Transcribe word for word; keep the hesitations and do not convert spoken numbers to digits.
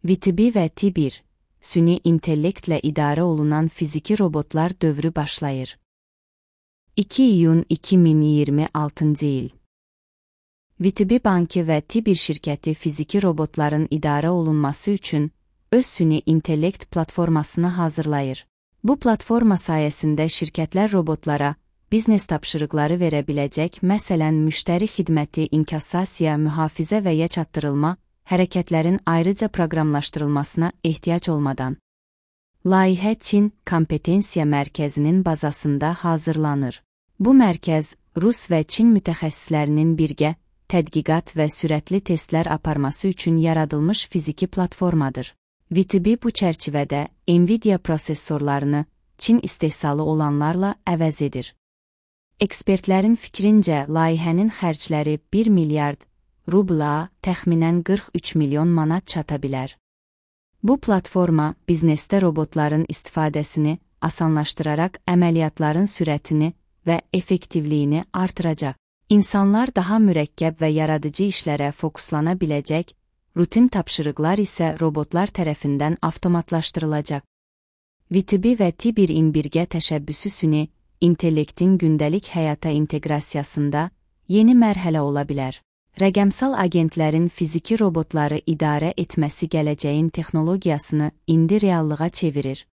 VTB və T bir, süni intellektlə idarə olunan fiziki robotlar dövrü başlayır. iki iyun iki min iyirmi altıncı il. VTB Bankı və T bir şirkəti fiziki robotların idarə olunması üçün öz süni intellekt platformasını hazırlayır. Bu platforma sayəsində şirkətlər robotlara biznes tapşırıqları verə biləcək, məsələn, müştəri xidməti, inkassasiya, mühafizə və ya çatdırılma hərəkətlərin ayrıca proqramlaşdırılmasına ehtiyac olmadan. Layihə Çin Kompetensiya Mərkəzinin bazasında hazırlanır. Bu mərkəz Rus və Çin mütəxəssislərinin birgə tədqiqat və sürətli testlər aparması üçün yaradılmış fiziki platformadır. VTB bu çərçivədə Nvidia prosesorlarını Çin istehsalı olanlarla əvəz edir. Ekspertlərin fikrincə, layihənin xərcləri bir milyard rubla, təxminən qırx üç milyon manat çata bilər. Bu platforma biznesdə robotların istifadəsini asanlaşdıraraq əməliyyatların sürətini və effektivliyini artıracaq. İnsanlar daha mürəkkəb və yaradıcı işlərə fokuslana biləcək, rutin tapşırıqlar isə robotlar tərəfindən avtomatlaşdırılacaq. VTB və T birin birgə təşəbbüsü süni intellektin gündəlik həyata inteqrasiyasında yeni mərhələ ola bilər. Rəqəmsal agentlərin fiziki robotları idarə etməsi gələcəyin texnologiyasını indi reallığa çevirir.